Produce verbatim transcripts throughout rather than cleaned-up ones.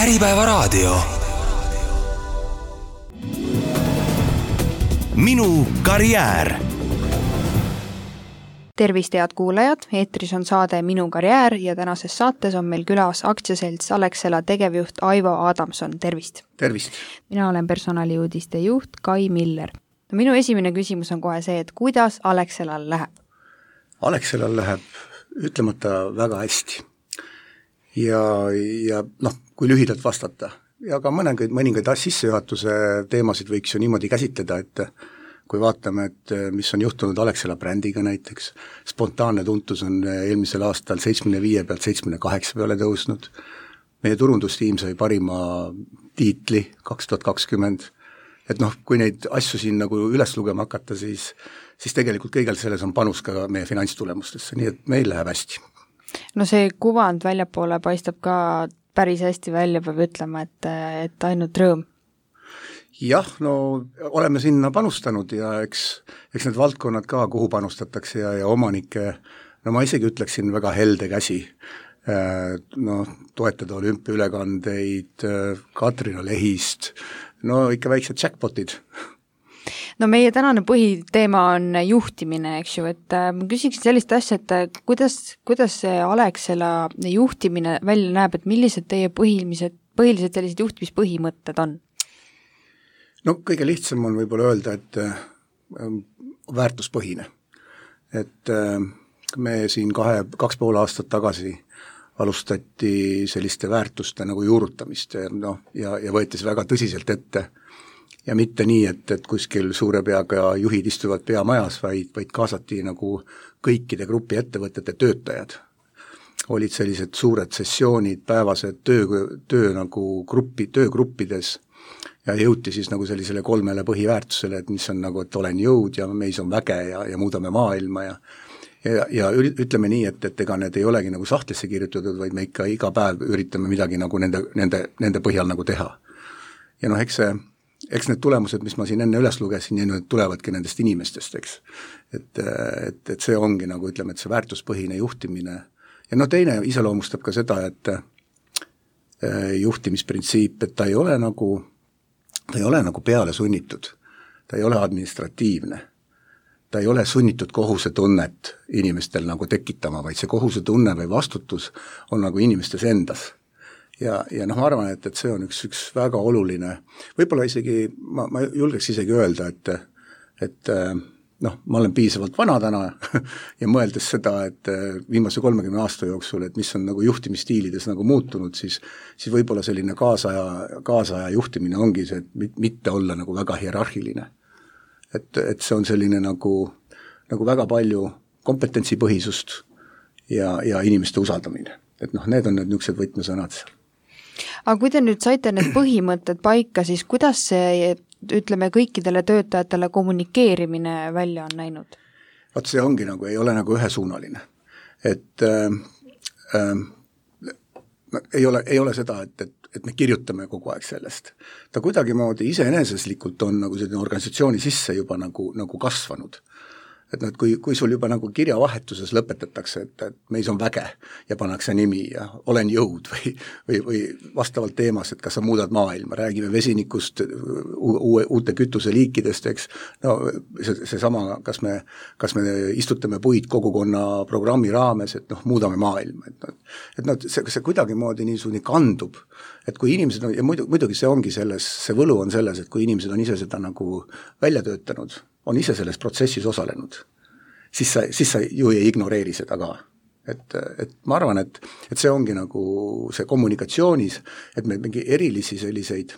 Äripäevaraadio. Minu karjäär. Tervist, head kuulajad, eetris on saade Minu karjäär ja tänases saates on meil külas aktsiaselts Alexela tegevjuht Aivo Adamson. Tervist! Tervist! Mina olen personaliuudiste juht Kai Miller. No, minu esimene küsimus on kohe see, et kuidas Alexelal läheb? Alexelal läheb ütlemata väga hästi. Ja, ja noh, kui lühidalt vastata. Ja ka mõningaid, mõningaid sissejuhatuse teemasid võiks ju niimoodi käsitleda, et kui vaatame, et mis on juhtunud Alexela brändiga näiteks, spontaanne tuntus on eelmisel aastal seitsmekümne viie pealt seitsmekümne kaheksa peale tõusnud. Meie turundustiim sai parima tiitli kaks tuhat kakskümmend. Et noh, kui neid asju siin nagu üles lugema hakata, siis, siis tegelikult kõigel selles on panus ka meie finantstulemustesse, nii et meil läheb hästi. No see kuvand väljapoole paistab ka päris hästi välja, peab ütlema, et, et ainult rõõm. Jah, no oleme sinna panustanud ja eks, eks need valdkonnad ka, kuhu panustatakse ja, ja omanike, no ma isegi ütleksin väga helde käsi, no toetada olümpiaülekandeid, Katrina Lehist, no ikka väiksed jackpotid. No meie tänane põhiteema on juhtimine, eks ju, et ma küsiksin sellist asja, et kuidas, kuidas see Alexela juhtimine välja näeb, et millised teie põhilised, põhilised sellised juhtimispõhimõtted on? No kõige lihtsam on võib-olla öelda, et väärtuspõhine. Et me siin kahe, kaks pool aastat tagasi alustati selliste väärtuste nagu juurutamist ja, no, ja, ja võetis väga tõsiselt ette. Ja mitte nii, et, et kuskil suure peaga juhid istuvad peamajas, vaid, vaid kaasati nagu kõikide grupi ettevõtete töötajad. Olid sellised suured sessioonid, päevased töö, töö nagu gruppi, töögruppides ja jõuti siis nagu sellisele kolmele põhiväärtusele, et mis on nagu, et olen jõud ja meis on väge ja, ja muudame maailma ja ja, ja ütleme nii, et, et ega need ei olegi nagu sahtlisse kirjutatud, vaid me ikka iga päev üritame midagi nagu nende, nende, nende põhjal nagu teha. Ja noh, eks see eks need tulemused, mis ma siin enne üles lugesin, ja need tulevadki nendest inimestest, eks. Et, et, et see ongi nagu, ütleme, et see väärtuspõhine juhtimine. Ja no teine iseloomustab ka seda, et juhtimisprintsiip, et ta ei ole nagu, ta ei ole nagu peale sunnitud. Ta ei ole administratiivne. Ta ei ole sunnitud kohusetunnet inimestel nagu tekitama, vaid see kohusetunne või vastutus on nagu inimestes endas. Ja, ja noh, ma arvan, et, et see on üks, üks väga oluline, võib-olla isegi, ma, ma julgeks isegi öelda, et, et noh, ma olen piisavalt vana täna ja mõeldes seda, et viimase kolmekümne aasta jooksul, et mis on nagu juhtimisstiilides nagu muutunud, siis, siis võib-olla selline kaasaja, kaasaja juhtimine ongi see, et mitte olla nagu väga hierarhiline. Et, et see on selline nagu, nagu väga palju kompetentsipõhisust ja, ja inimeste usaldamine. Et noh, need on need niisugused võtmesõnad seal. Aga kui te nüüd saite need põhimõtted paika, siis kuidas see, ütleme, kõikidele töötajatele kommunikeerimine välja on näinud? Vaat see ongi nagu, ei ole nagu ühesuunaline. Et äh, äh, ei, ole, ei ole seda, et, et, et me kirjutame kogu aeg sellest. Ta kuidagi moodi iseeneseslikult on nagu selline organisatsiooni sisse juba nagu, nagu kasvanud. Et noh, et kui, kui sul juba nagu kirjavahetuses lõpetatakse, et, et meis on väge ja pannakse nimi ja olen jõud või, või, või vastavalt teemas, et kas sa muudad maailma, räägime vesinikust, uue, uute kütuseliikidest, eks, no see, see sama, kas me, kas me istutame puid kogukonna programmi raames, et noh, muudame maailma, et, et noh, see, see kuidagi moodi niisugune kandub, et kui inimesed on, ja muidu, muidugi see ongi selles, see võlu on selles, et kui inimesed on ise seda nagu välja töötanud, on ise selles protsessis osalenud, siis sa, siis sa ju ei ignoreeri seda ka. Et, et ma arvan, et, et see ongi nagu see kommunikatsioonis, et me mingi erilisi selliseid,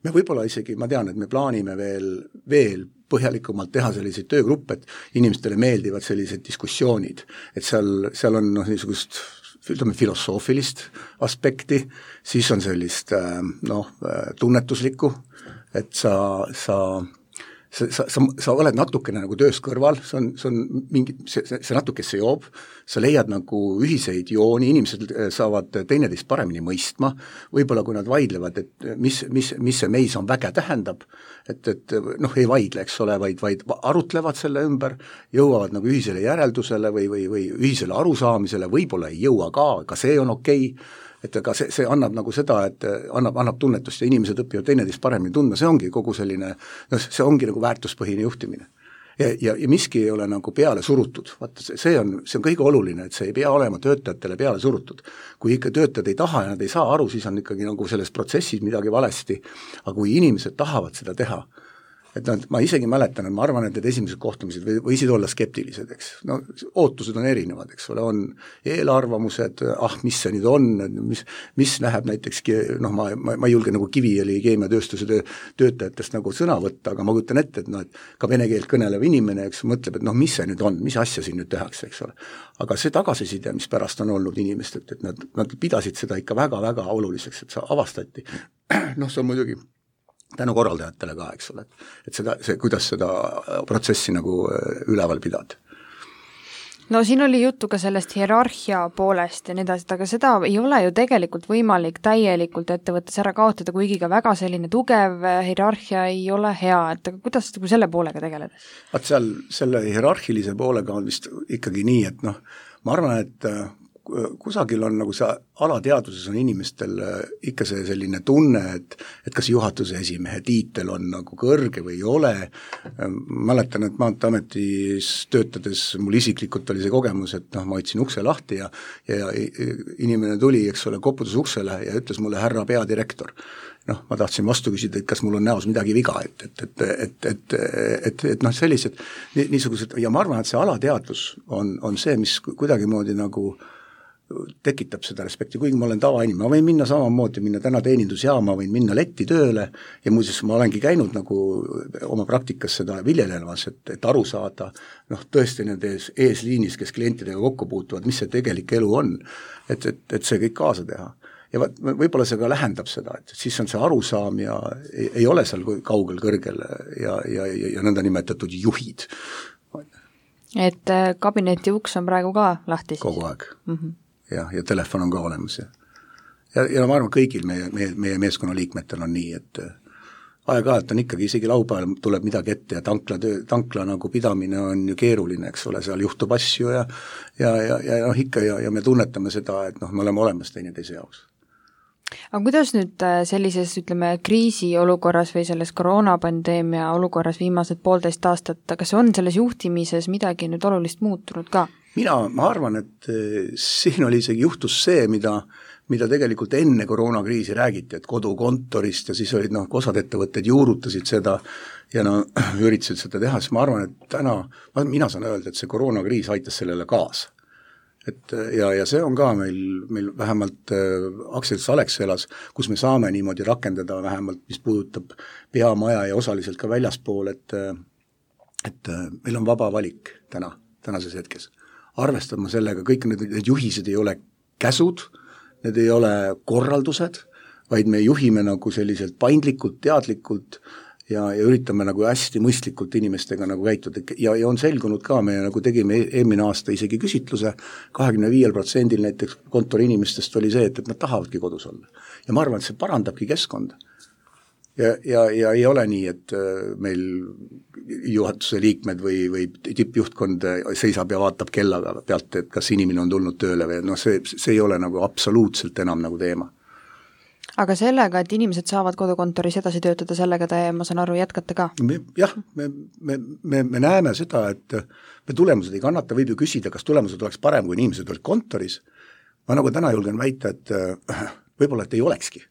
me võib-olla isegi, ma tean, et me plaanime veel, veel põhjalikumalt teha selliseid töögruppe, et inimestele meeldivad sellised diskussioonid, et seal, seal on noh, niisugust ütleme filosoofilist aspekti, siis on sellist noh, tunnetuslikku, et sa, sa Sa, sa, sa, sa oled natukene nagu töös kõrval, see on, see on mingi, see, see natuke seob, sa leiad nagu ühiseid jooni, inimesed saavad teineteist paremini mõistma, võib-olla kui nad vaidlevad, et mis, mis, mis see meis on väge tähendab, et, et noh, ei vaidle, eks ole, vaid, vaid arutlevad selle ümber, jõuavad nagu ühisele järeldusele või, või, või ühisele arusaamisele, võib-olla ei jõua ka, ka see on okei, et aga see, see annab nagu seda, et annab, annab tunnetust ja inimesed õpivad teineteist paremini tundma, see ongi kogu selline, no see ongi nagu väärtuspõhine juhtimine. Ja, ja, ja miski ei ole nagu peale surutud, vaata see, see on, see on kõige oluline, et see ei pea olema töötajatele peale surutud. Kui ikka töötajad ei taha ja nad ei saa aru, siis on ikkagi nagu selles protsessis midagi valesti, aga kui inimesed tahavad seda teha, et nad, ma isegi mäletan, et ma arvan, et need esimesed kohtumised võisid olla skeptilised, eks. No ootused on erinevad, eks ole, on eelarvamused, ah, mis see nüüd on, mis, mis läheb näiteks, noh, ma, ma, ma ei julge nagu Kiviõli keemiatööstuse töö, töötajatest nagu sõna võtta, aga ma kujutan ette, et noh, et ka vene keelt kõnelev inimene, eks, mõtleb, et noh, mis see nüüd on, mis asja siin nüüd tehakse, eks ole. Aga see tagasiside, mis pärast on olnud inimestelt, et nad, nad pidasid seda ikka väga-väga oluliseks, et see avastati. Noh, see on muidugi tänu korraldajatele ka, eks ole, et seda, see, kuidas seda protsessi nagu üleval pidada. No siin oli juttu ka sellest hierarhia poolest ja nii edasi, aga seda ei ole ju tegelikult võimalik täielikult ettevõttes ära kaotada, kuigi ka väga selline tugev hierarhia ei ole hea, et aga kuidas selle poolega tegeledes? Vaat seal selle hierarhilise poolega on vist ikkagi nii, et noh, ma arvan, et kusagil on nagu see alateaduses on inimestel ikka see selline tunne, et, et kas juhatuse esimehe tiitel on nagu kõrge või ei ole. Mäletan, et Maanteeametis töötades mul isiklikult oli see kogemus, et noh, ma hoidsin ukse lahti ja, ja inimene tuli, eks ole, koputus uksele ja ütles mulle härra peadirektor. Noh, ma tahtsin vastu küsida, et kas mul on näos midagi viga, et, et, et, et, et, et, et noh, sellised niisugused, ja ma arvan, et see alateadvus on, on see, mis kuidagimoodi nagu tekitab seda respekti, kuigi ma olen tavainimene, ma võin minna samamoodi, minna täna teenindusjaama, võin minna letti tööle ja muuseas ma olengi käinud nagu oma praktikas seda viljelemas, et, et aru saada, noh tõesti nende ees, eesliinis, kes klientidega kokku puutuvad, mis see tegelik elu on, et, et, et see kõik kaasa teha. Ja võib-olla see ka lähendab seda, et siis on see arusaam ja ei, ei ole seal kaugel kõrgel ja, ja, ja, ja nõnda nimetatud juhid. Et kabineti uks on praegu ka lahti siis? Kogu aeg. Mm-hmm. Ja, ja telefon on ka olemas. Ja, ja, ja ma arvan, kõigil meie, meie, meie meeskonna liikmetel on nii, et aeg-ajalt on ikkagi, isegi laupäeval tuleb midagi ette ja tankla, töö, tankla nagu pidamine on ju keeruline, eks ole, seal juhtub asju ja, ja, ja, ja noh, ikka ja, ja me tunnetame seda, et noh, me oleme olemas teineteise jaoks. Aga kuidas nüüd sellises, ütleme, kriisiolukorras või selles koroonapandeemia olukorras viimased poolteist aastat, kas on selles juhtimises midagi nüüd olulist muutunud ka? Mina, ma arvan, et siin oli isegi juhtus see, mida, mida tegelikult enne koroonakriisi räägiti, et kodukontorist ja siis olid noh, osad ettevõtted juurutasid seda ja no üritasid seda teha, siis ma arvan, et täna, mina saan öelda, et see koroonakriis aitas sellele kaasa. Et ja, ja see on ka meil, meil vähemalt äh, Aktsiates Alexelas, kus me saame niimoodi rakendada vähemalt, mis puudutab peamaja ja osaliselt ka väljaspool, et, et äh, meil on vaba valik täna, tänases hetkes. Arvestama sellega, kõik need, need juhised ei ole käsud, need ei ole korraldused, vaid me juhime nagu selliselt paindlikult, teadlikult ja, ja üritame nagu hästi mõistlikult inimestega nagu käituda ja, ja on selgunud ka, me nagu tegime eelmine aasta isegi küsitluse, kahekümne viiel protsendil näiteks kontori inimestest oli see, et, et nad tahavadki kodus olla. Ja ma arvan, et see parandabki keskkonda. Ja, ja, ja ei ole nii, et meil juhatuse liikmed või, või tippjuhtkond seisab ja vaatab kellaga pealt, et kas inimene on tulnud tööle või noh, see, see ei ole nagu absoluutselt enam nagu teema. Aga sellega, et inimesed saavad kodukontoris edasi töötada, sellega te, ma saan aru, jätkate ka? Me, jah, me, me, me, me näeme seda, et me tulemused ei kannata, võib ju küsida, kas tulemused oleks parem, kui inimesed olid kontoris. Ma nagu täna julgen väita, et võib-olla, et ei olekski.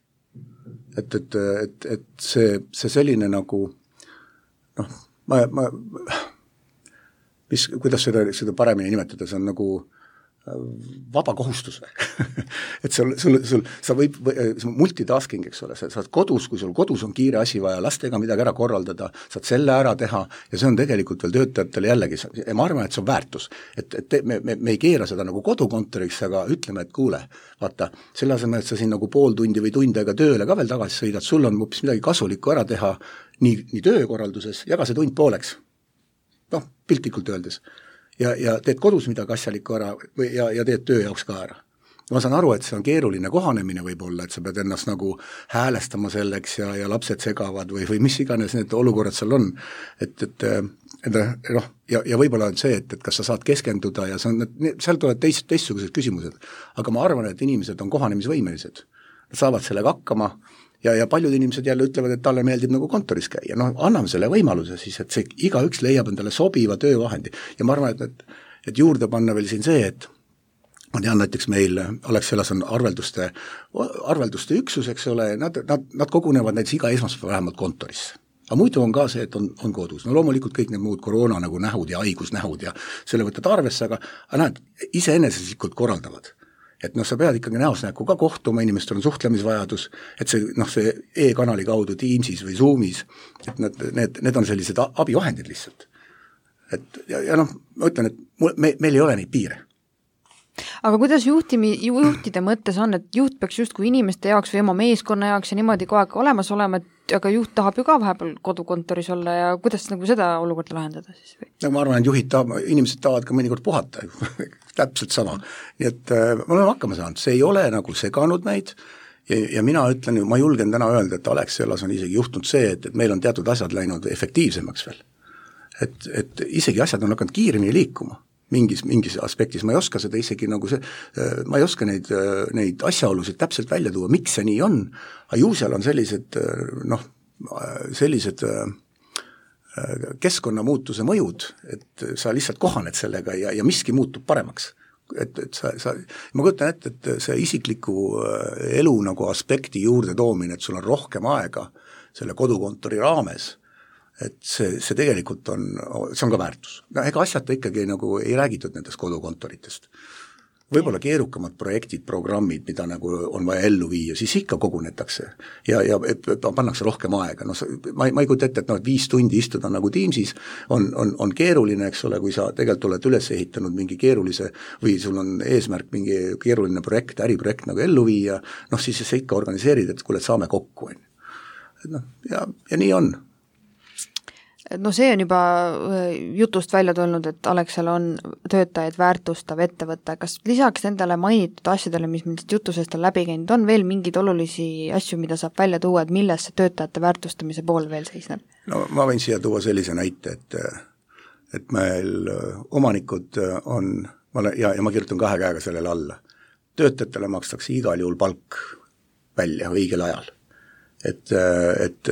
Et, et, et, et see, see selline nagu noh, ma, ma mis, kuidas seda, seda paremini nimetada, see on nagu vaba kohustus et sul, sul, sul, sa võib, multitasking, eks ole, sa saad kodus, kui sul kodus on kiire asi vaja lastega midagi ära korraldada, saad selle ära teha ja see on tegelikult veel töötajatele jällegi, ja ma arvan, et see on väärtus, et, et me, me, me ei keera seda nagu kodukontoriks, aga ütleme, et kuule, vaata, selle asemel, et sa siin nagu pool tundi või tund aega tööle ka veel tagasi sõidad, sul on hoopis midagi kasulikku ära teha nii, nii töökorralduses, jaga see tund pooleks, noh, piltlikult öeldes. Ja, ja teed kodus midagi asjalikku ära või, ja, ja teed töö jaoks ka ära. ma saan aru, et see on keeruline kohanemine võib-olla, et sa pead ennast nagu häälestama selleks ja, ja lapsed segavad või, või mis iganes need olukorrad seal on, et, et, et noh, ja, ja võib-olla on see, et, et kas sa saad keskenduda ja see on, seal tulevad teist, teistsugused küsimused, aga ma arvan, et inimesed on kohanemisvõimelised, nad saavad sellega hakkama ja, ja paljud inimesed jälle ütlevad, et talle meeldib nagu kontoris käia, noh, anname selle võimaluse siis, et see igaüks leiab endale sobiva töövahendi ja ma arvan, et, et, et juurde panna veel siin see, et ma tean näiteks meil Alexelas on arvelduste, arvelduste üksus, eks ole, nad, nad, nad kogunevad näiteks iga esmaspäev vähemalt kontorisse. Aga muidu on ka see, et on, on kodus. No loomulikult kõik need muud koroona nagu nähud ja haigusnähud ja selle võtad arvesse, aga, aga nad iseeneseslikult korraldavad. Et noh, sa pead ikkagi näost näkku ka kohtuma, inimestel on suhtlemisvajadus, et see, noh, see e-kanali kaudu Teamsis või Zoomis, et need, need, need on sellised abivahendid lihtsalt. Et, ja, ja noh, ma ütlen, et mul, me, meil ei ole neid piire. Aga kuidas juhtimi, juhtide mõttes on, et juht peaks justkui inimeste jaoks või oma meeskonna jaoks ja niimoodi kogu aeg olemas olema, et aga juht tahab ju ka vahepeal kodukontoris olla ja kuidas nagu seda olukorda lahendada siis? Või? No ma arvan, et juhid tahab, inimesed tahavad ka mõnikord puhata, täpselt sama. Nii et äh, me oleme hakkama saanud, see ei ole nagu seganud meid ja, ja mina ütlen, ma julgen täna öelda, et Alexelas on isegi juhtunud see, et, et meil on teatud asjad läinud efektiivsemaks veel. Et, et isegi asjad on hakanud kiiremini liikuma. Mingis, mingis aspektis, ma ei oska seda isegi nagu see, ma ei oska neid, neid asjaolusid täpselt välja tuua, miks see nii on, aga ju seal on sellised, noh, sellised keskkonnamuutuse mõjud, et sa lihtsalt kohaned sellega ja, ja miski muutub paremaks. Et, et sa, sa, ma kujutan ette, et see isikliku elu nagu aspekti juurde toomine, et sul on rohkem aega selle kodukontori raames, et see, see tegelikult on, see on ka väärtus. No, ega asjata ikkagi nagu ei räägitud nendest kodukontoritest. Võib-olla keerukamad projektid, programmid, mida nagu on vaja ellu viia, siis ikka kogunetakse ja, ja pannakse rohkem aega. No, ma, ma ei kujuta ette, et no, viis tundi istuda nagu Teamsis on, on, on keeruline, eks ole, kui sa tegelikult oled üles ehitanud mingi keerulise või sul on eesmärk mingi keeruline projekt, äriprojekt nagu ellu viia, noh siis sa ikka organiseerid, et kuule, et saame kokku. No, ja, ja nii on. No see on juba jutust välja tulnud, et Alexela on töötajaid väärtustav ettevõte. Kas lisaks nendele mainitud asjadele, mis millest jutusest on läbi käinud, on veel mingeid olulisi asju, mida saab välja tuua, et milles see töötajate väärtustamise pool veel seisneb? No ma võin siia tuua sellise näite, et, et meil omanikud on, ja, ja ma kirjutan kahe käega sellele alla, töötajatele makstakse igal juhul palk välja õigel ajal. Et, et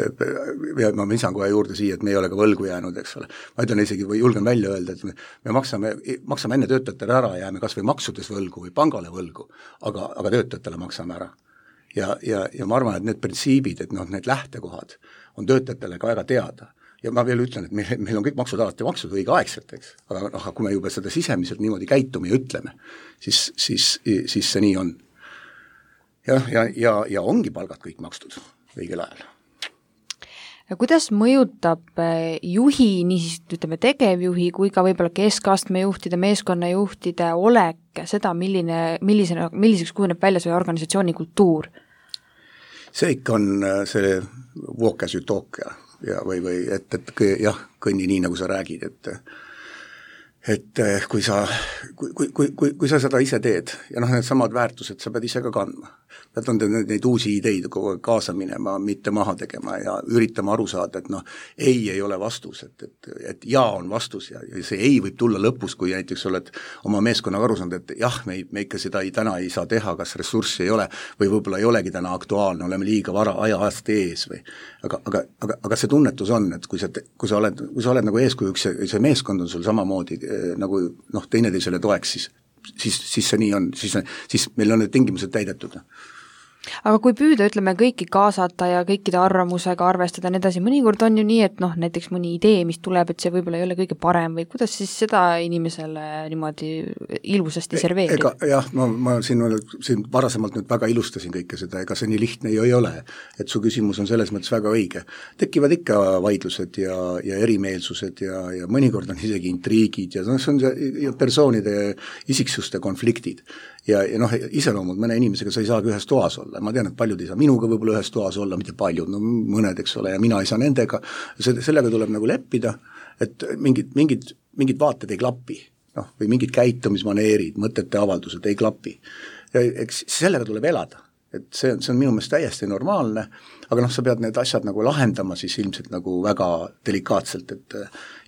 ja ma lisan kohe juurde siia, et me ei ole ka võlgu jäänud, eks ole. Ma ütlen isegi või julgen välja öelda, et me, me maksame, maksame enne töötajatele ära, jääme kas või maksudes võlgu või pangale võlgu, aga, aga töötajatele maksame ära. Ja, ja, ja ma arvan, et need printsiibid, et noh, need lähtekohad on töötajatele ka väga teada. Ja ma veel ütlen, et meil, meil on kõik maksud alati maksud õigeaegselt, eks. Aga noh, kui me juba seda sisemiselt niimoodi käitume ja ütleme, siis, siis, siis see nii on. Ja, ja, ja, ja ongi palgad kõik makstud õigel ajal. Ja kuidas mõjutab juhi, nii siis ütleme tegevjuhi kui ka võib-olla keskastme juhtide, meeskonnajuhtide olek seda, milline, millisena, milliseks kujuneb välja see organisatsiooni kultuur? See ikka on see walk as you talk ja, ja või, või et, et jah, kõnni nii, nagu sa räägid, et et kui sa, kui, kui, kui, kui sa seda ise teed ja noh, need samad väärtused sa pead ise ka kandma. Pead on neid, neid uusi ideid kogu aeg kaasa minema, mitte maha tegema ja üritama aru saada, et noh, ei ei ole vastus, et, et, et jaa on vastus ja, ja see ei võib tulla lõpus, kui näiteks oled oma meeskonnaga aru saanud, et jah, me, me ikka seda ei, täna ei saa teha, kas ressurssi ei ole või võib-olla ei olegi täna aktuaalne, oleme liiga vara aja ajast ees või aga, aga, aga, aga see tunnetus on, et kui sa, kui sa oled, kui sa oled nagu eeskujuks ja see meeskond on sul samamoodi nagu noh, teineteisele toeks, siis, siis, siis see nii on, siis, siis meil on need tingimused täidetud. Aga kui püüda, ütleme, kõiki kaasata ja kõikide arvamusega arvestada nii edasi, mõnikord on ju nii, et noh, näiteks mõni idee, mis tuleb, et see võib-olla ei ole kõige parem või kuidas siis seda inimesele niimoodi ilusasti serveerida? Ega jah, ma, ma siin, siin varasemalt nüüd väga ilustasin kõike seda, ega see nii lihtne ju ei ole, et su küsimus on selles mõttes väga õige. Tekivad ikka vaidlused ja, ja erimeelsused ja, ja mõnikord on isegi intriigid ja no, see on see persoonide isiksuste konfliktid. Ja, ja noh, iseloomud mõne inimesega sa ei saagi ühes toas olla. Ma tean, et paljud ei saa minuga võib-olla ühes toas olla, mitte paljud, no mõned, eks ole, ja mina ei saa nendega. Sellega tuleb nagu leppida, et mingid, mingid, mingid vaated ei klapi, noh, või mingid käitumismaneerid, mõtete avaldused ei klapi. ja eks sellega tuleb elada, et see, see on minu meelest täiesti normaalne, aga noh, sa pead need asjad nagu lahendama siis ilmselt nagu väga delikaatselt, et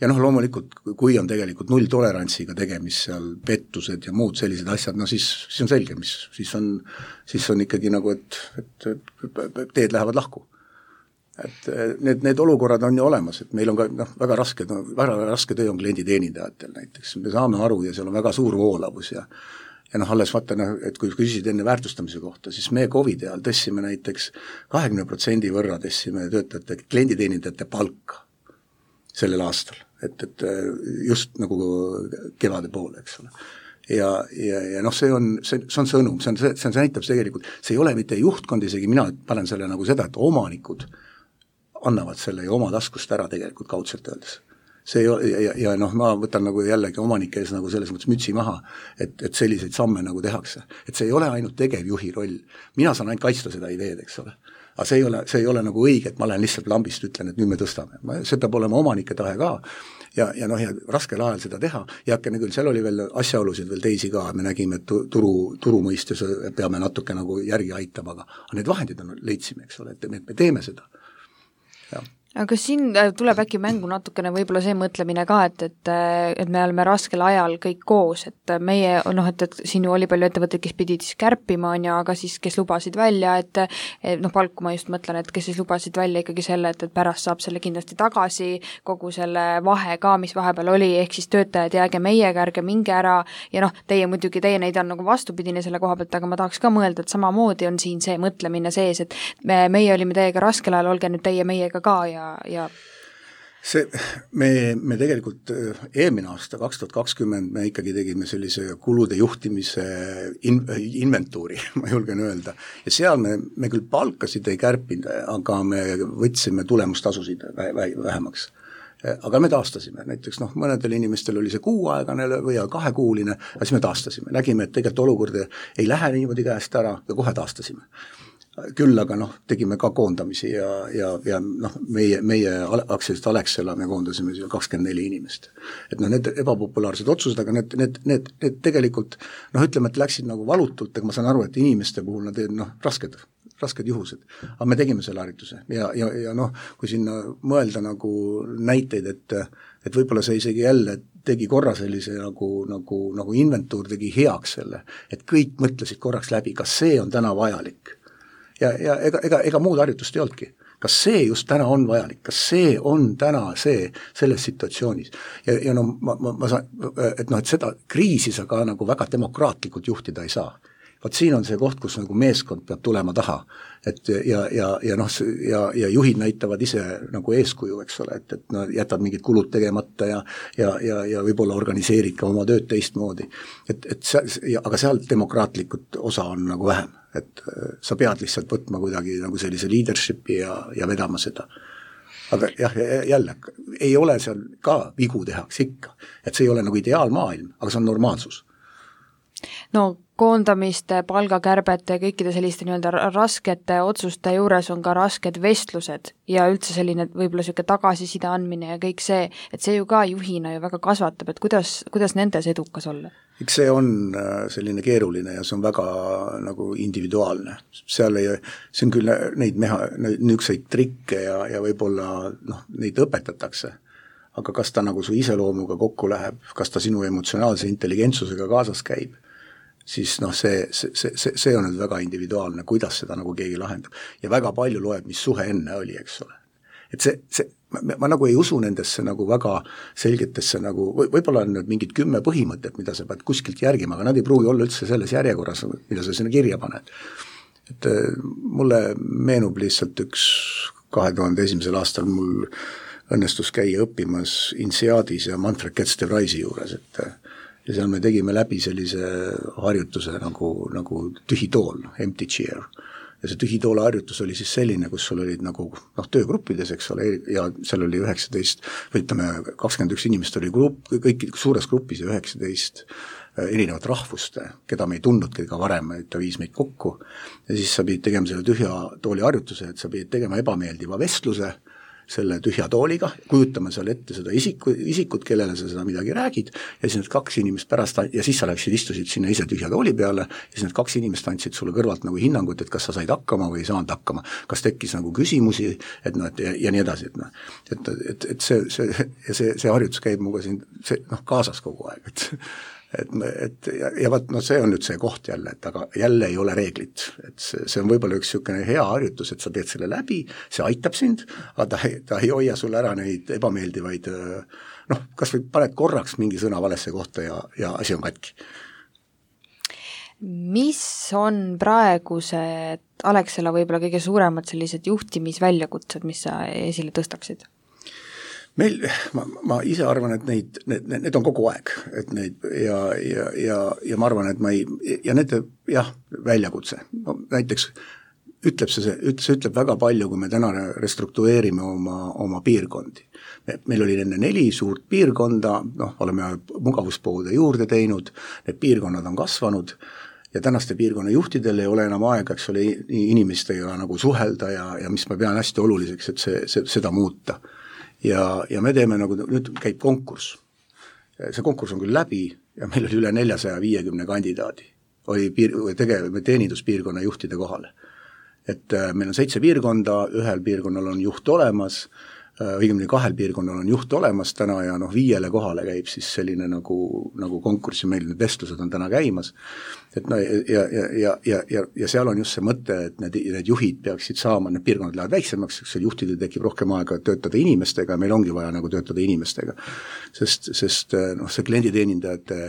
ja noh, loomulikult, kui on tegelikult nulltolerantsiga tegemist seal pettused ja muud sellised asjad, no siis, siis on selge, mis siis on, siis on ikkagi nagu, et, et, et teed lähevad lahku. Et need, need olukorrad on ju olemas, et meil on ka noh, väga raske, no, väga raske töö on klienditeenindajatel näiteks, me saame aru ja seal on väga suur voolavus ja ja noh, alles vaata, et kui küsisid enne väärtustamise kohta, siis me Covidi ajal tõstsime näiteks kahekümne protsendi võrra tõstsime töötajate, klienditeenindajate palka sellel aastal, et, et just nagu kevade poole, eks ole. Ja, ja, ja noh, see on, see, see on sõnum, see on, see, see näitab tegelikult, see ei ole mitte juhtkond, isegi mina panen selle nagu seda, et omanikud annavad selle ju oma taskust ära tegelikult kaudselt öeldes. See ei ole, ja, ja noh, ma võtan nagu jällegi omanike ees nagu selles mõttes mütsi maha, et, et selliseid samme nagu tehakse. Et see ei ole ainult tegevjuhi roll. Mina saan ainult kaitsta seda ideed, eks ole. Aga see ei ole, see ei ole nagu õige, et ma lähen lihtsalt lambist ütlen, et nüüd me tõstame. See peab olema omanike tahe ka. Ja, ja noh, ja raskel ajal seda teha. Ja hakkene küll, seal oli veel asjaolusid veel teisi ka. Me nägime, et turu, turu mõistes peame natuke nagu järgi aitama, aga need vahendid on leidsime, eks ole, et me, me teeme seda. Ja. aga kas siin tuleb äkki mängu natukene võib-olla see mõtlemine ka, et, et, et me oleme raskel ajal kõik koos, et meie, noh, et, et siin ju oli palju ettevõtteid, kes pidid siis kärpima, on ja, aga siis kes lubasid välja, et, et noh, palku ma just mõtlen, et kes siis lubasid välja ikkagi selle, et, et pärast saab selle kindlasti tagasi, kogu selle vahe ka, mis vahepeal oli, ehk siis töötajad jääge meiega, ärge minge ära ja noh, teie muidugi, teie neid on nagu vastupidine selle koha pealt, aga ma tahaks ka mõelda, et samamoodi on siin see mõtlemine sees, et me, meie olime teiega raskel ajal, olge nüüd teie meiega ka ja ja see, me, me tegelikult eelmine aasta, kaks tuhat kakskümmend, me ikkagi tegime sellise kulude juhtimise in, inventuuri, ma julgen öelda, ja seal me, me küll palkasid ei kärpinud, aga me võtsime tulemustasusid vähemaks. Aga me taastasime, näiteks noh, mõnedel inimestel oli see kuuaegane või kahekuuline, aga siis me taastasime, nägime, et tegelikult olukord ei lähe niimoodi käest ära ja kohe taastasime. Küll aga noh, tegime ka koondamisi ja, ja, ja noh, meie, meie aktsialist Alexela me koondasime kakskümmend neli inimest. Et noh, need ebapopulaarsed otsused, aga need, need, need, need tegelikult noh, ütleme, et läksid nagu valutult, aga ma saan aru, et inimeste puhul nad noh, rasked, rasked juhused. Aga me tegime selle harituse ja, ja, ja noh, kui sinna mõelda nagu näiteid, et, et võib-olla see isegi jälle tegi korra sellise nagu, nagu, nagu inventuur tegi heaks selle, et kõik mõtlesid korraks läbi, kas see on täna vajalik. Ja, ja ega, ega, ega muud harjutust ei olnudki. Kas see just täna on vajalik? Kas see on täna see, selles situatsioonis? Ja, ja no ma, ma, ma saan, et noh, et seda kriisi sa ka nagu väga demokraatlikult juhtida ei saa. Vaat siin on see koht, kus nagu meeskond peab tulema taha. Et ja, ja, ja noh, ja, ja juhid näitavad ise nagu eeskuju, eks ole, et, et no, jätad mingid kulud tegemata ja, ja, ja, ja võib-olla organiseerid ka oma tööd teistmoodi. Et, et see, aga seal demokraatlikult osa on nagu vähem. Et sa pead lihtsalt võtma kuidagi nagu sellise leadershipi ja, ja vedama seda. Aga jah, jälle, ei ole seal ka vigu tehaks ikka. Et see ei ole nagu ideaalmaailm, aga see on normaalsus. No koondamiste, palgakärbete ja kõikide selliste nii-öelda raskete otsuste juures on ka rasked vestlused ja üldse selline võib-olla selline tagasiside andmine ja kõik see, et see ju ka juhina ju väga kasvatab, et kuidas, kuidas nendes edukas olla? Eks see on selline keeruline ja see on väga nagu individuaalne. Seal ei, see on küll neid meha, niisuguseid trikke ja, ja võib-olla noh, neid õpetatakse, aga kas ta nagu su iseloomuga kokku läheb, kas ta sinu emotsionaalse intelligentsusega kaasas käib, siis noh, see, see, see, see on nüüd väga individuaalne, kuidas seda nagu keegi lahendab. Ja väga palju loeb, mis suhe enne oli, eks ole. Et see, see, ma, ma nagu ei usu nendesse nagu väga selgetesse nagu, või, võib-olla on nüüd mingid kümme põhimõtet, mida sa pead kuskilt järgima, aga nad ei pruugi olla üldse selles järjekorras, mida sa sinna kirja paned. Et mulle meenub lihtsalt üks kahe tuhande esimesel aastal mul õnnestus käia õppimas Inseadis ja Manfred Ketz-de-Vriesi juures, et ja seal me tegime läbi sellise harjutuse nagu, nagu tühitool, empty chair. Ja see tühitoole harjutus oli siis selline, kus sul olid nagu noh, töögruppides, eks ole, ja seal oli üheksateist, või ütleme, kakskümmend üks inimest oli grupp, kõik suures grupis ja üheksateist erinevat rahvust, keda me ei tundnudki ka varem, et ta viis meid kokku. Ja siis sa pidid tegema selle tühja tooli harjutuse, et sa pidid tegema ebameeldiva vestluse, selle tühja tooliga, kujutama seal ette seda isiku, isikut, kellele sa seda midagi räägid, ja siis need kaks inimest pärast, ja siis sa läksid, istusid sinna ise tühja tooli peale, ja siis need kaks inimest andsid sulle kõrvalt nagu hinnangut, et kas sa said hakkama või ei saanud hakkama, kas tekkis nagu küsimusi, et noh, et ja, ja nii edasi, et noh, et, et, et see, see, ja see, see harjutus käib muga siin, see noh, kaasas kogu aeg, et et, et ja, ja vaat, no see on nüüd see koht jälle, et aga jälle ei ole reeglit, et see, see on võib-olla üks niisugune hea harjutus, et sa teed selle läbi, see aitab sind, aga ta, ta ei hoia sulle ära neid ebameeldivaid noh, kas või paned korraks mingi sõna valesse kohta ja, ja asi on katki. Mis on praegused Alexela võib-olla kõige suuremad sellised juhtimisväljakutsed, mis sa esile tõstaksid? Meil, ma, ma ise arvan, et neid, need, need on kogu aeg, et neid ja, ja, ja, ja ma arvan, et ma ei, ja need, jah, väljakutse, no näiteks ütleb see, see ütleb väga palju, kui me täna restruktureerime oma, oma piirkondi. Me, meil oli enne neli suurt piirkonda, noh, oleme mugavuspoode juurde teinud, need piirkonnad on kasvanud ja tänaste piirkonna juhtidel ei ole enam aega, eks ole, inimestega nagu suhelda ja, ja mis ma pean hästi oluliseks, et see, see, seda muuta. Ja, ja me teeme nagu, nüüd käib konkurss. See konkurss on küll läbi ja meil oli üle neljasaja viiekümne kandidaadi. Oli piir, tegev, teeninduspiirkonna juhtide kohale. Et meil on seitse piirkonda, ühel piirkonnal on juht olemas, õigemini kahel piirkonnal on juht olemas täna ja noh, viiele kohale käib siis selline nagu, nagu konkurss ja meil need vestlused on täna käimas. Et no, ja, ja, ja, ja, ja, ja seal on just see mõte, et need, need juhid peaksid saama, need piirkonnad lähevad väiksemaks, eks juhtidel tekib rohkem aega töötada inimestega ja meil ongi vaja nagu töötada inimestega. Sest, sest noh, see klienditeenindajate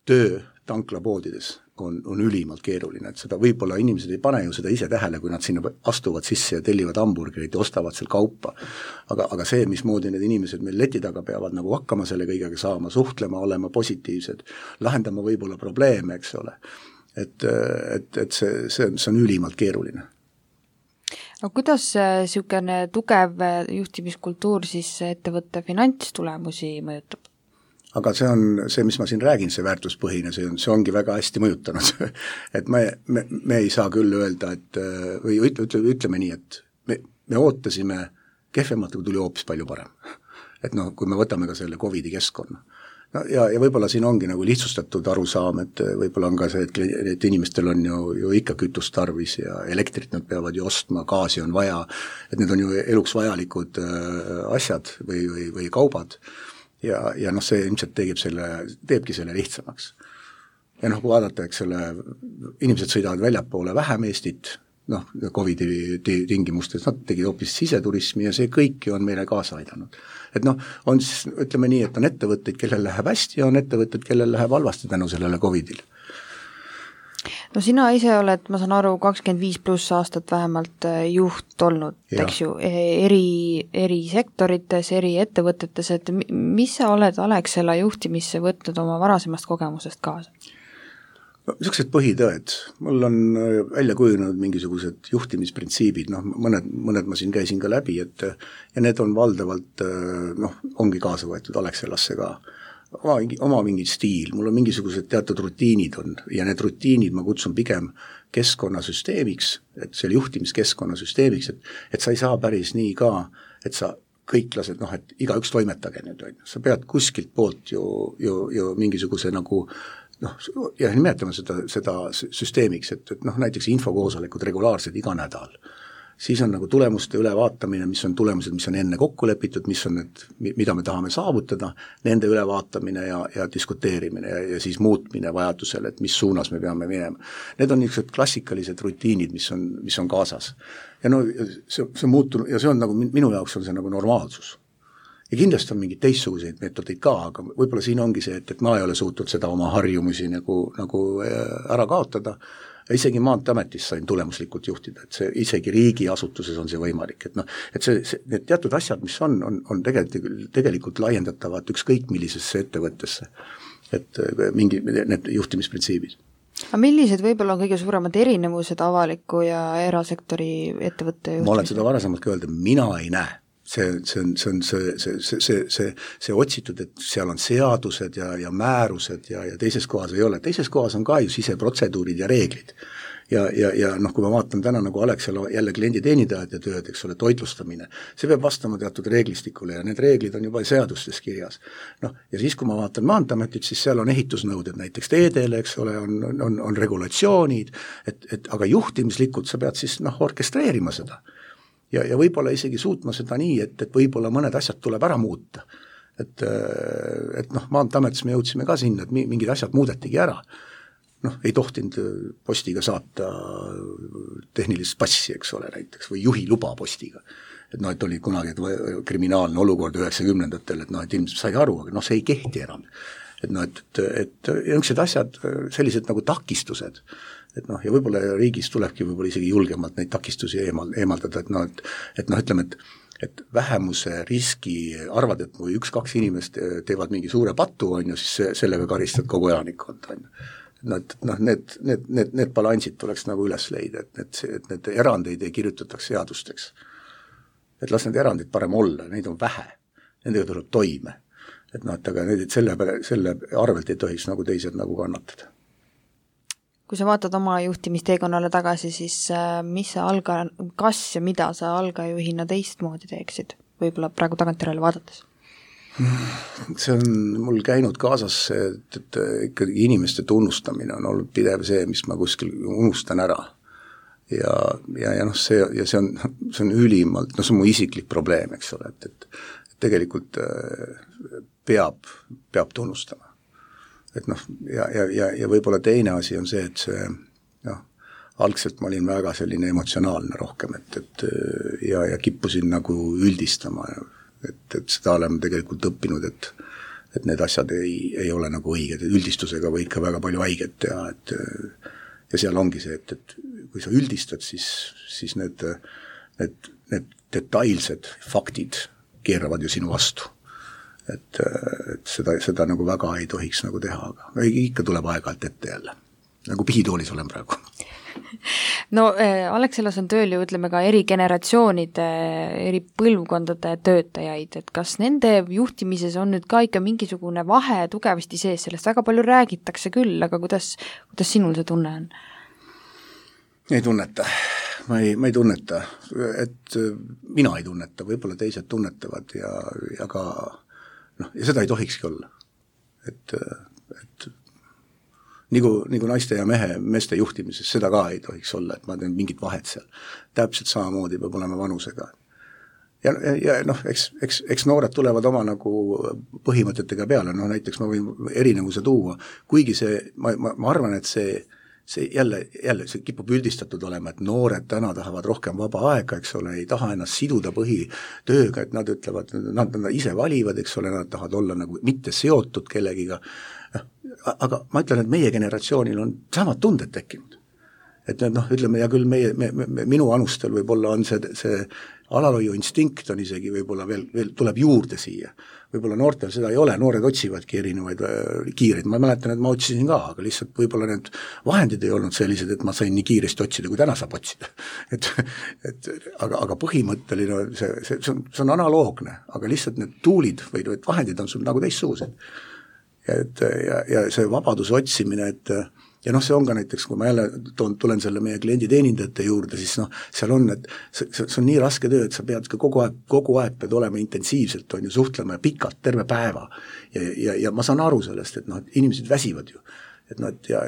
töö tanklapoodides on, on ülimalt keeruline, et seda võib-olla inimesed ei pane ju seda ise tähele, kui nad sinna astuvad sisse ja tellivad hamburgerid ja ostavad seal kaupa. Aga, aga see, mismoodi need inimesed meil leti taga peavad nagu hakkama selle kõigega saama, suhtlema, olema positiivsed, lahendama võib-olla probleeme, eks ole. Et, et, et see, see, see on ülimalt keeruline. No kuidas niisugune tugev juhtimiskultuur siis ettevõtte finantstulemusi mõjutab? Aga see on see, mis ma siin räägin, see väärtuspõhine, see, on, see ongi väga hästi mõjutanud. et me, me, me ei saa küll öelda, et või ütle, ütle, ütleme nii, et me, me ootasime kehvemat, kui tuli hoopis palju parem. et noh, kui me võtame ka selle Covidi keskkonna. No ja, ja võib-olla siin ongi nagu lihtsustatud arusaam, et võib-olla on ka see, et, et inimestel on ju, ju ikka kütust tarvis ja elektrit nad peavad ju ostma, gaasi on vaja, et need on ju eluks vajalikud asjad või, või, või kaubad. Ja, ja noh, see ilmselt tegib selle, teebki selle lihtsamaks. Ja noh, kui vaadata, eks selle, inimesed sõidavad väljapoole vähem Eestit, noh, Covidi tingimustes, nad tegid hoopis siseturismi ja see kõik on meile kaasa aidanud. Et noh, on siis, ütleme nii, et on ettevõtteid, kellel läheb hästi ja on ettevõtteid, kellel läheb halvasti tänu sellele Covidil. No sina ise oled, ma saan aru, kakskümmend viis pluss aastat vähemalt juht olnud, eks ju, eri, eri sektorites, eri ettevõtetes, et mis sa oled Alexela juhtimisse võtnud oma varasemast kogemusest kaasa? No, niisugused põhitõed. Mul on välja kujunenud mingisugused juhtimisprintsiibid, noh, mõned, mõned ma siin käisin ka läbi, et ja need on valdavalt, noh, ongi kaasa võetud Alexelasse ka. Oma, oma mingi stiil, mul on mingisugused teatud rutiinid on ja need rutiinid ma kutsun pigem keskkonnasüsteemiks, et see juhtimiskeskkonnasüsteemiks, et, et sa ei saa päris nii ka, et sa kõik lased, noh, et igaüks toimetage nüüd, sa pead kuskilt poolt ju, ju, ju mingisuguse nagu noh, ja nimetame seda, seda süsteemiks, et, et noh, näiteks infokoosolekud regulaarsed iga nädal. Siis on nagu tulemuste ülevaatamine, mis on tulemused, mis on enne kokku lepitud, mis on need, mida me tahame saavutada, nende ülevaatamine ja, ja diskuteerimine ja, ja siis muutmine vajadusel, et mis suunas me peame minema. Need on niisugused klassikalised rutiinid, mis on, mis on kaasas. Ja no see, see muutunud, ja see on nagu, minu jaoks on see nagu normaalsus. Ja kindlasti on mingid teistsuguseid meetodeid ka, aga võib-olla siin ongi see, et, et ma ei ole suutnud seda oma harjumusi nagu, nagu ära kaotada. Ja isegi Maanteametis sain tulemuslikult juhtida, et see isegi riigiasutuses on see võimalik, et noh, et see, see, need teatud asjad, mis on, on, on tegelikult, tegelikult laiendatavad ükskõik millisesse ettevõttesse, et mingi, need juhtimisprintsiibid. Aga millised võib-olla on kõige suuremad erinevused avaliku ja erasektori ettevõtte juhtimisel? Ma olen seda varasemalt ka öelda, mina ei näe. See, see on, see on see, see, see, see, see, see otsitud, et seal on seadused ja, ja määrused ja, ja teises kohas ei ole. Teises kohas on ka ju siseprotseduurid ja reeglid. ja, ja, ja noh, kui ma vaatan täna nagu Alexela jälle klienditeenindajate tööd, eks ole, toitlustamine, see peab vastama teatud reeglistikule ja need reeglid on juba seadustes kirjas. Noh, ja siis, kui ma vaatan Maanteeametit, siis seal on ehitusnõuded näiteks teedele, eks ole, on, on, on regulatsioonid, et, et aga juhtimislikult sa pead siis noh, orkestreerima seda. Ja, ja võib-olla isegi suutma seda nii, et, et võib-olla mõned asjad tuleb ära muuta. Et, et noh, Maanteeametis me jõudsime ka sinna, et mingid asjad muudetigi ära. Noh, ei tohtinud postiga saata tehnilist passi, eks ole, näiteks, või juhi luba postiga. Et noh, et oli kunagi kriminaalne olukord üheksakümnendatel, et noh, et ilmselt sai aru, aga noh, see ei kehti enam. Et noh, et, et jõnksed asjad, sellised nagu takistused, et noh, ja võib-olla riigis tulebki võib-olla isegi julgemalt neid takistusi eemal, eemaldada, et noh, et, et noh, ütleme, et et vähemuse riski arvad, et kui üks-kaks inimest teevad mingi suure patu, on ju, siis sellega karistad kogu elanikkond, on ju. No, et noh, need, need, need, need balansid tuleks nagu üles leida, et need, et need erandeid ei kirjutataks seadusteks. Et las need erandid parem olla, neid on vähe, nendega tuleb toime. Et noh, et aga need, selle, selle arvelt ei tohiks nagu teised nagu kannatada. Kui sa vaatad oma juhtimisteekonnale tagasi, siis mis sa alga, kas ja mida sa algajuhina teistmoodi teeksid? Võib-olla praegu tagantjärele vaadates? See on mul käinud kaasas, et, et ikkagi inimeste tunnustamine on olnud pidev see, mis ma kuskil unustan ära. Ja, ja, ja noh, see, ja see on, see on ülimalt, no see on mu isiklik probleem, eks ole, et, et, et tegelikult peab, peab tunnustama. Et noh, ja, ja, ja, ja võib-olla teine asi on see, et see, noh, algselt ma olin väga selline emotsionaalne rohkem, et, et ja, ja kippusin nagu üldistama, et, et seda oleme tegelikult õppinud, et, et need asjad ei, ei ole nagu õiged, üldistusega võid ka väga palju haiget teha, et ja seal ongi see, et, et kui sa üldistad, siis, siis need, need, need detailsed faktid keeravad ju sinu vastu. Et, et seda, seda nagu väga ei tohiks nagu teha, aga ikka tuleb aeg-ajalt ette jälle. Nagu pihitoolis olen praegu. No Alexelas on tööl ju ütleme ka eri generatsioonide, eri põlvkondade töötajaid, et kas nende juhtimises on nüüd ka ikka mingisugune vahe tugevasti sees, sellest väga palju räägitakse küll, aga kuidas, kuidas sinul see tunne on? Ei tunneta. Ma ei, ma ei tunneta, et mina ei tunneta, võib-olla teised tunnetavad ja, ja ka noh, ja seda ei tohikski olla. Et, et nagu, nagu naiste ja mehe, meeste juhtimises, seda ka ei tohiks olla, et ma teen mingit vahet seal. Täpselt samamoodi peab olema vanusega. Ja, ja noh, eks, eks, eks noored tulevad oma nagu põhimõtetega peale, no näiteks ma võin erinevuse tuua, kuigi see, ma, ma, ma arvan, et see see jälle, jälle see kipub üldistatud olema, et noored täna tahavad rohkem vaba aega, eks ole, ei taha ennast siduda põhitööga, et nad ütlevad, nad, nad ise valivad, eks ole, nad tahavad olla nagu mitte seotud kellegiga, aga ma ütlen, et meie generatsioonil on samad tunded tekkinud. Et noh, ütleme, ja küll meie, me, me, minu anustel võib-olla on see, see alalhoiu instinkt on isegi võib-olla veel, veel tuleb juurde siia. Võib-olla noortel seda ei ole, noored otsivadki erinevaid äh, kiireid, ma mäletan, et ma otsisin ka, aga lihtsalt võib-olla need vahendid ei olnud sellised, et ma sain nii kiiresti otsida, kui täna saab otsida. Et, et, aga, aga põhimõtteline see, see, see, on, see on analoogne, aga lihtsalt need tuulid või need vahendid on sul nagu teistsugused. Ja, et, ja, ja see vabaduse otsimine, et ja noh, see on ka näiteks, kui ma jälle toon, tulen selle meie klienditeenindajate juurde, siis noh, seal on, et see, see on nii raske töö, et sa pead ka kogu aeg, kogu aeg pead olema intensiivselt, on ju, suhtlema ja pikalt, terve päeva. Ja, ja, ja ma saan aru sellest, et noh, et inimesed väsivad ju. Et noh, et ja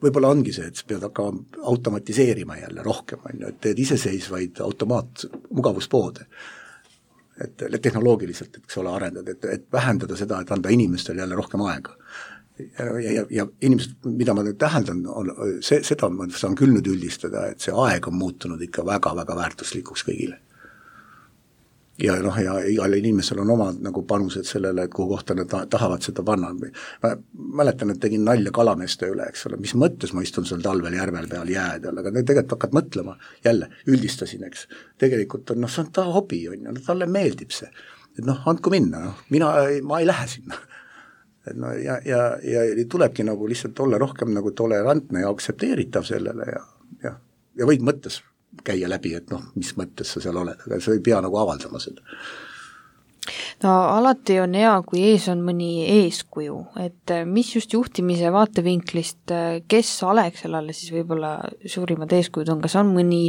võib-olla ongi see, et sa pead hakkama automatiseerima jälle rohkem, on ju, et teed iseseisvaid automaat mugavuspoode. Et tehnoloogiliselt, et eks ole, arendad, et, et vähendada seda, et anda inimestel jälle rohkem aega. Ja, ja, ja inimesed, mida ma nüüd täheldan, on, see, seda ma saan küll nüüd üldistada, et see aeg on muutunud ikka väga-väga väärtuslikuks kõigile. Ja noh, ja igal inimesel on oma nagu panused sellele, et kuhu kohta nad tahavad seda panna. Ma mäletan, et tegin nalja kalameeste üle, eks ole, mis mõttes ma istun seal talvel järvel peal jäädel, aga tegelikult hakkad mõtlema, jälle üldistasin, eks. Tegelikult on, noh, see on ta hobi, on ju, talle meeldib see. Et noh, andku minna, noh, mina, ma ei lähe sinna. Et no, ja, ja, ja tulebki nagu lihtsalt olla rohkem nagu tolerantne ja aktsepteeritav sellele ja, ja, ja võid mõttes käia läbi, et noh, mis mõttes sa seal oled, aga sa ei pea nagu avaldama seda. no alati on hea, kui ees on mõni eeskuju, et mis just juhtimise vaatevinklist, kes Alexelale siis võib-olla suurimad eeskujud on, kas on mõni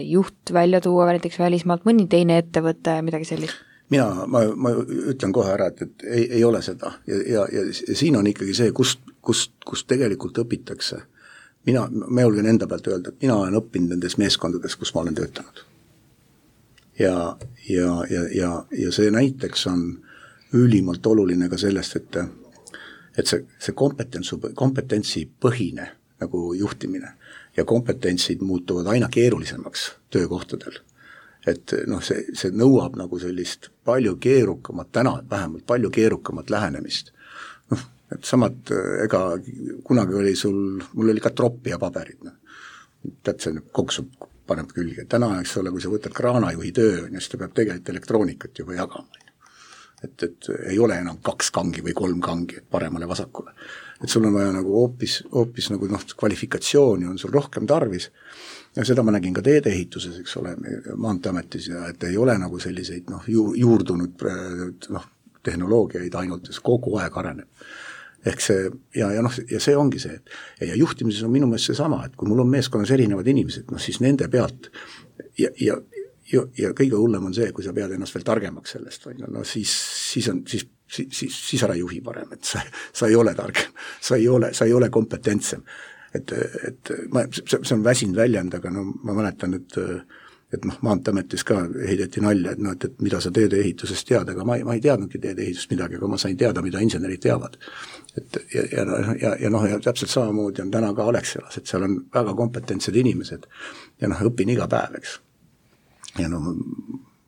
juht välja tuua näiteks välismaalt, mõni teine ettevõte, midagi sellist? mina, ma, ma ütlen kohe ära, et, et ei, ei ole seda ja, ja, ja, ja siin on ikkagi see, kust, kust, kust tegelikult õpitakse. Mina, ma julgen enda pealt öelda, et mina olen õppinud nendes meeskondades, kus ma olen töötanud. Ja, ja, ja, ja, ja see näiteks on ülimalt oluline ka sellest, et, et see, see kompetentsu, kompetentsi põhine nagu juhtimine ja kompetentsid muutuvad aina keerulisemaks töökohtadel. Et noh, see, see nõuab nagu sellist palju keerukamat, täna vähemalt palju keerukamat lähenemist. Noh, et samad, ega kunagi oli sul, mul oli ka troppi ja paberid, noh. Tead, see koksub, paneb külge. Täna, eks ole, kui sa võtad kraanajuhi töö, siis ta peab tegelikult elektroonikat juba jagama. Et, et ei ole enam kaks kangi või kolm kangi paremale vasakule. Et sul on vaja nagu hoopis, hoopis nagu noh, kvalifikatsiooni on sul rohkem tarvis. Ja seda ma nägin ka teedeehituses, eks ole, Maanteeametis ja et ei ole nagu selliseid noh, ju, juurdunud noh, tehnoloogiaid ainult, kogu aeg areneb. Ehk see, ja, ja, noh, ja see ongi see, et ja juhtimises on minu meelest see sama, et kui mul on meeskonnas erinevad inimesed, noh siis nende pealt ja, ja, ja, ja kõige hullem on see, kui sa pead ennast veel targemaks sellest, või no siis, siis on, siis, siis, siis, siis ära juhi parem, et sa, sa ei ole targem, sa ei ole, sa ei ole kompetentsem. Et, et ma, see, see on väsinud väljend, aga no ma mäletan, et, et noh, Maanteeametis ka heideti nalja, et, no, et, et mida sa teedeehitusest tead, aga ma ei, ma ei teadnudki teedeehitust midagi, aga ma sain teada, mida insenerid teavad. Et, ja, ja, ja, ja, noh, ja täpselt samamoodi on täna ka Alexelas, et seal on väga kompetentsed inimesed ja noh, õpin iga päev, eks. Ja no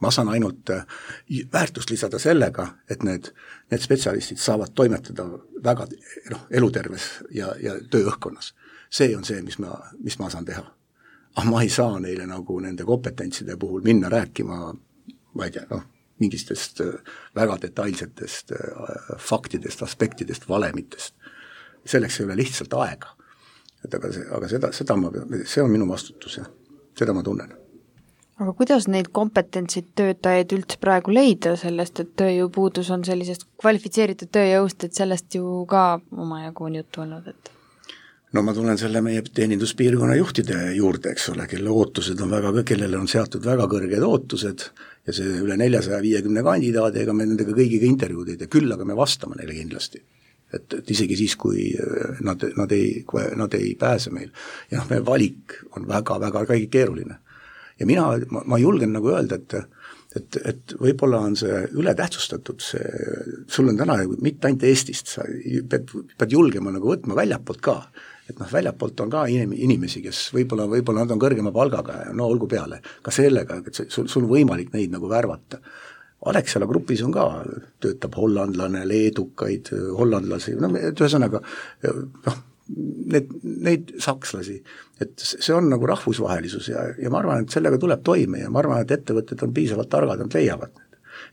ma saan ainult väärtust lisada sellega, et need, need spetsialistid saavad toimetada väga noh, eluterves ja, ja tööõhkkonnas. See on see, mis ma, mis ma saan teha. Aga ma ei saa neile nagu nende kompetentside puhul minna rääkima, ma ei tea, noh, mingistest väga detailsetest faktidest, aspektidest, valemitest. Selleks ei ole lihtsalt aega. Et aga see, aga seda, seda ma, see on minu vastutus ja seda ma tunnen. Aga kuidas neid kompetentsid töötajaid üldse praegu leida sellest, et tööjõupuudus on sellisest kvalifitseeritud tööjõust, et sellest ju ka omajagu on juttu olnud, et no ma tulen selle meie teeninduspiirkonna juhtide juurde, eks ole, kelle ootused on väga, kellele on seatud väga kõrged ootused ja see üle neljasaja viiekümne kandidaadi, ega me nendega kõigiga intervjuud ei tee, küll aga me vastame neile kindlasti. Et, et isegi siis, kui nad, nad, ei, nad ei pääse meil. Ja noh, meie valik on väga, väga kõige keeruline. Ja mina, ma, ma julgen nagu öelda, et, et, et võib-olla on see ületähtsustatud, see, sul on täna mitte ainult Eestist, sa pead, pead julgema nagu võtma väljapoolt ka. Et noh, väljapoolt on ka inimesi, kes võib-olla, võib-olla nad on kõrgema palgaga ja no olgu peale. Ka sellega, et sul, sul võimalik neid nagu värvata. Alexela grupis on ka, töötab hollandlane, leedukaid, hollandlasi, no ühesõnaga, noh, need, neid sakslasi, et see on nagu rahvusvahelisus ja, ja ma arvan, et sellega tuleb toime ja ma arvan, et ettevõtted on piisavalt targad, nad leiavad.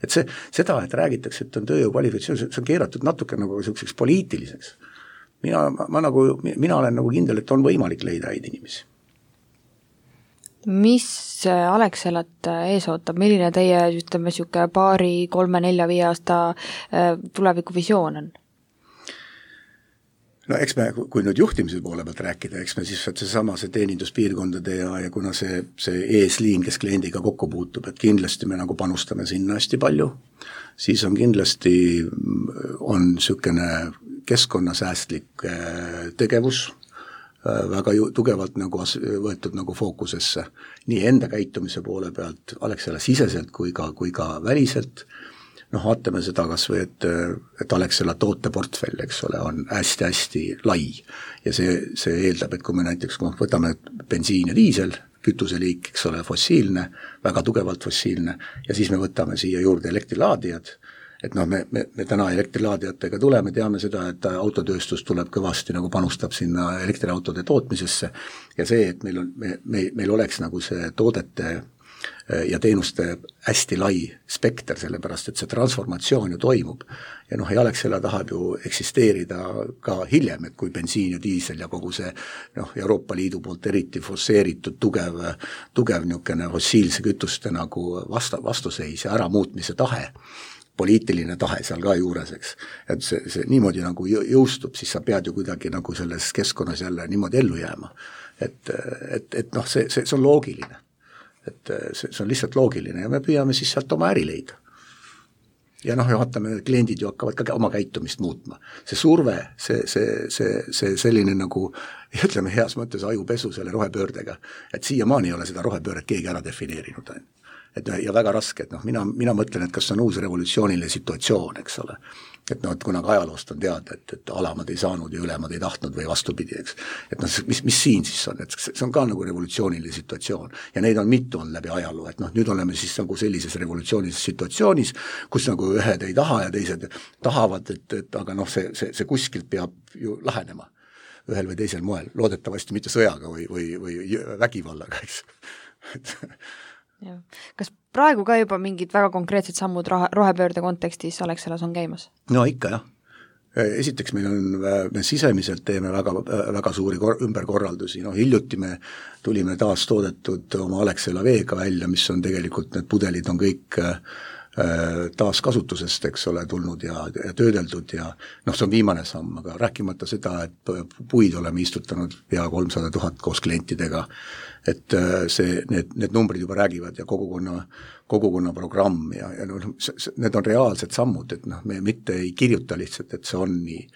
Et see, seda, et räägitakse, et on tööjõu kvalifikatsioon, see on keeratud natuke nagu selliseks poliitiliseks. Mina, ma, ma nagu, mina olen nagu kindel, et on võimalik leida häid inimesi. Mis Alexelat ees ootab? Milline teie ütleme siuke paari, kolme, nelja, viie aasta tulevikuvisioon on? No eks me, kui nüüd juhtimise poole pealt rääkida, eks me siis see sama see teeninduspiirkondade ja, ja kuna see, see eesliin, kes kliendiga kokku puutub, et kindlasti me nagu panustame sinna hästi palju, siis on kindlasti on niisugune keskkonnasäästlik tegevus väga ju, tugevalt nagu võetud nagu fookusesse nii enda käitumise poole pealt, Alexela siseselt kui ka, kui ka väliselt. Noh, vaatame seda kas või, et, et Alexela tooteportfell, eks ole, on hästi-hästi lai ja see, see eeldab, et kui me näiteks kui võtame bensiin ja diisel, kütuseliik, eks ole, fossiilne, väga tugevalt fossiilne ja siis me võtame siia juurde elektrilaadijad, et noh, me, me, me täna elektrilaadijatega tuleme, teame seda, et autotööstus tuleb kõvasti nagu panustab sinna elektriautode tootmisesse ja see, et meil on, me, me, meil oleks nagu see toodete ja teenuste hästi lai spekter, sellepärast, et see transformatsioon ju toimub. Ja noh, Alexela tahab ju eksisteerida ka hiljem, et kui bensiin ja diisel ja kogu see noh, Euroopa Liidu poolt eriti forsseeritud tugev, tugev niisugune fossiilse kütuste nagu vasta, vastuseis ja äramuutmise tahe, poliitiline tahe seal ka juures, eks. Et see, see niimoodi nagu jõustub, siis sa pead ju kuidagi nagu selles keskkonnas jälle niimoodi ellu jääma. Et, et, et noh, see, see, see on loogiline. Et see, see on lihtsalt loogiline ja me püüame siis sealt oma äri leida. Ja noh, vaatame, kliendid ju hakkavad ka oma käitumist muutma. See surve, see, see, see, see selline nagu, ütleme heas mõttes ajupesu selle rohepöördega, et siiamaani ei ole seda rohepööret keegi ära defineerinud. Et ja väga raske, et noh, mina, mina mõtlen, et kas see on uus revolutsiooniline situatsioon, eks ole. Et noh, et kuna ka ajaloost on teada, et, et alamad ei saanud ja ülemad ei tahtnud või vastupidi, eks. Et noh, mis, mis siin siis on, et see on ka nagu revolutsiooniline situatsioon ja neid on mitu on läbi ajaloo, et noh, nüüd oleme siis nagu sellises revolutsioonilises situatsioonis, kus nagu ühed ei taha ja teised tahavad, et, et aga noh, see, see, see kuskilt peab ju lahenema ühel või teisel moel, loodetavasti mitte sõjaga või, või, või vägivallaga, eks. Ja. Kas praegu ka juba mingid väga konkreetsed sammud rohepöörde kontekstis Alexelas on käimas? No ikka jah. Esiteks meil on, me sisemiselt teeme väga, väga suuri kor- ümberkorraldusi, no hiljuti me tulime taas toodetud oma Alexela veega välja, mis on tegelikult, need pudelid on kõik taas kasutusest, eks ole, tulnud ja, ja töödeldud ja noh, see on viimane samm, aga rääkimata seda, et puid oleme istutanud pea kolmsada tuhat koos klientidega, et see, need, need numbrid juba räägivad ja kogukonna, kogukonna programm ja, ja noh, need on reaalsed sammud, et noh, me mitte ei kirjuta lihtsalt, et see on nii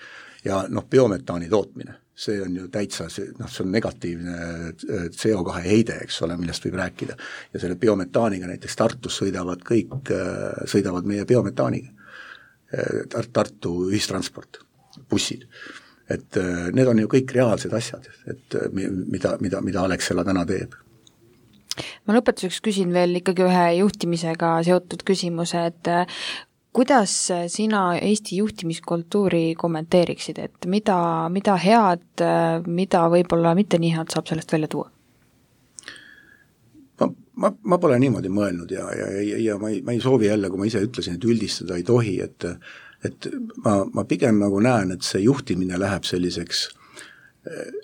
ja noh, biometaani tootmine, see on ju täitsa, noh, see on negatiivne C O kahe heide, eks ole, millest võib rääkida. Ja selle biometaaniga näiteks Tartus sõidavad kõik, sõidavad meie biometaaniga. Tartu ühistransport, bussid. Et need on ju kõik reaalsed asjad, et mida, mida, mida Alexela täna teeb. Ma lõpetuseks küsin veel ikkagi ühe juhtimisega seotud küsimuse, et kuidas sina Eesti juhtimiskultuuri kommenteeriksid, et mida, mida head, mida võib-olla mitte nii head saab sellest välja tuua? Ma, ma, ma pole niimoodi mõelnud ja, ja, ja, ja ma, ei, ma ei soovi jälle, kui ma ise ütlesin, et üldistada ei tohi, et, et ma, ma pigem nagu näen, et see juhtimine läheb selliseks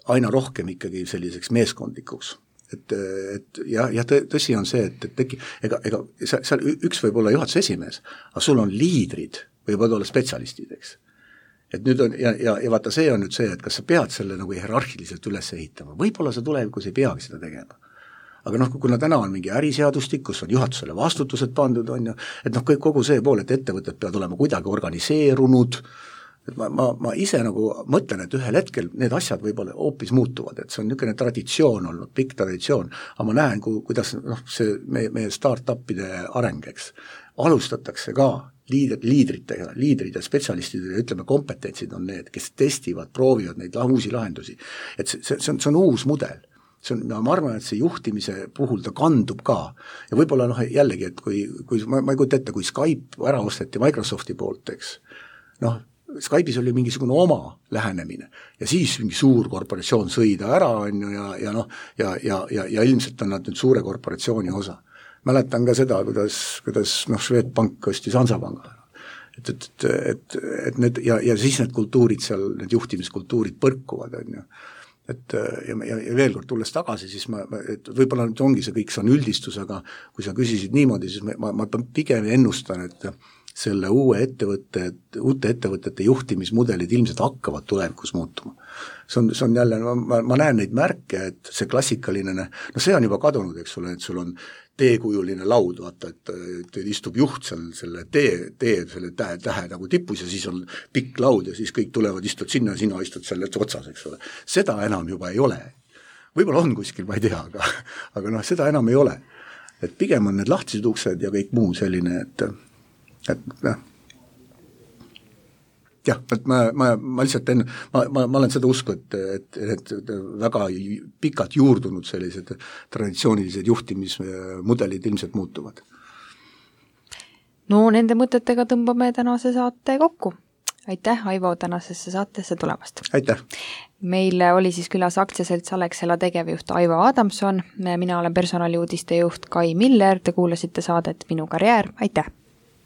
aina rohkem ikkagi selliseks meeskondlikuks. Et, et ja, ja tõsi on see, et, et teki, ega, ega seal üks võib olla juhatuse esimees, aga sul on liidrid, võivad olla spetsialistid, eks. Et nüüd on, ja, ja, ja vaata, see on nüüd see, et kas sa pead selle nagu hierarhiliselt üles ehitama, võib-olla sa tulevikus ei peagi seda tegema. Aga noh, kuna täna on mingi äriseadustik, kus on juhatusele vastutused pandud, on ju, et noh, kõik kogu see pool, et ettevõtted peavad olema kuidagi organiseerunud, et ma, ma, ma ise nagu mõtlen, et ühel hetkel need asjad võib-olla hoopis muutuvad, et see on niisugune traditsioon olnud, pikk traditsioon, aga ma näen, ku, kuidas noh, see meie, meie start-upide arengeks alustatakse ka liidrid, liidritega, liidrid ja spetsialistid ja ütleme, kompetentsid on need, kes testivad, proovivad neid uusi lahendusi. Et see, see, see, on, see on uus mudel. See on, ma arvan, et see juhtimise puhul ta kandub ka. Ja võib-olla noh, jällegi, et kui, kui ma, ma ei kujuta ette, kui Skype ära osteti Microsofti poolt, eks, noh, Skype'is oli mingisugune oma lähenemine ja siis mingi suur korporatsioon sõida ära on ju ja, ja noh, ja, ja, ja, ja ilmselt on nad nüüd suure korporatsiooni osa. Mäletan ka seda, kuidas, kuidas noh, Swedbank ostis Hansapanga. Et, et, et, et need, ja, ja siis need kultuurid seal, need juhtimiskultuurid põrkuvad, on ju. Et ja, ja, ja veel kord tulles tagasi, siis ma, et võib-olla nüüd ongi see kõik, see on üldistus, aga kui sa küsisid niimoodi, siis ma, ma pigem ennustan, et selle uue ettevõtte, uute ettevõtete juhtimismudelid ilmselt hakkavad tulevikus muutuma. See on, see on jälle, ma, ma näen neid märke, et see klassikaline, no see on juba kadunud, eks ole, et sul on teekujuline laud, vaata, et, et istub juht seal selle tee, tee selle tähe, tähe nagu tipus ja siis on pikk laud ja siis kõik tulevad, istud sinna ja sina istud selle otsas, eks ole. Seda enam juba ei ole. Võib-olla on kuskil, ma ei tea, aga, aga noh, seda enam ei ole. Et pigem on need lahtised uksed ja kõik muu selline, et et noh, jah, et ma, ma, ma lihtsalt enne, ma, ma, ma olen seda usku, et, et, et, et väga pikalt juurdunud sellised traditsioonilised juhtimismudelid ilmselt muutuvad. No nende mõtetega tõmbame tänase saate kokku. Aitäh, Aivo, tänasesse saatesse tulemast. Aitäh. Meil oli siis külas aktsiaselts Alexela tegevjuht Aivo Adamson, mina olen personaliuudiste juht Kai Miller, te kuulasite saadet Minu karjäär, aitäh!